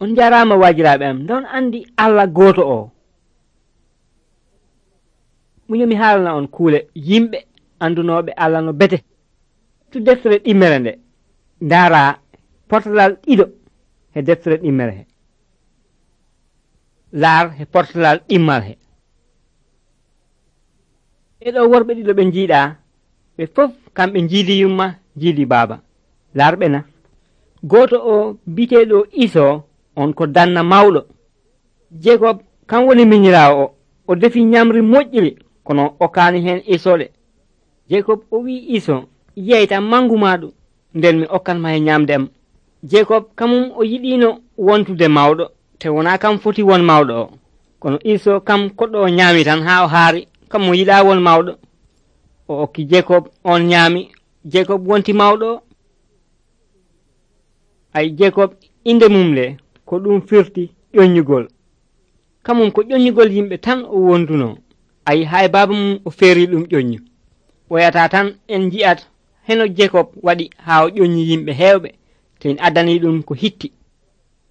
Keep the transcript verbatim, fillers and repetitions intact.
On jarama wajiraɓe am, don andi Allah goto o. Muñomi haalana on kuule yimɓe andunoɓe Allah no bete. Tu deftere ɗimmere nde ndara portalal ɗiɗo he deftere ɗimmere he, laar he portalal ɗimmal he. Ɓeɗo worɓe ɗiɗo ɓe jiiɗa ɓe fof kamɓe jiidi yumma jiidi baaba. Laarɓe na, goto o biteɗo Iso on ko danna mawɗo. Jekob kam woni miñirawo o, o defi ñamri moƴƴiri kono o kaani hen Isole. Jekob o wi Iso, yeyta mangu maɗu nden mi okkanma he ñamdem. Jekob kamum o yiɗino wontude mawɗo, te wona kam foti won mawɗo o, kono Iso kam koɗɗo o ñaami tan ha o haari, kam mo yiɗa won mawɗo. O okki Jekob, on ñaami, Jekob wonti mawɗo o. Ay Jekob inde mum le ko ɗum firti ƴoññugol. Kamum ko ƴoññugol yimɓe tan o wonduno. Ay hay baba mum o feeri ɗum ƴoññu. Woyata tan en ji'at heno Jekob waɗi ha o ƴoññi yimɓe hewɓe, te en addani ɗum ko hitti.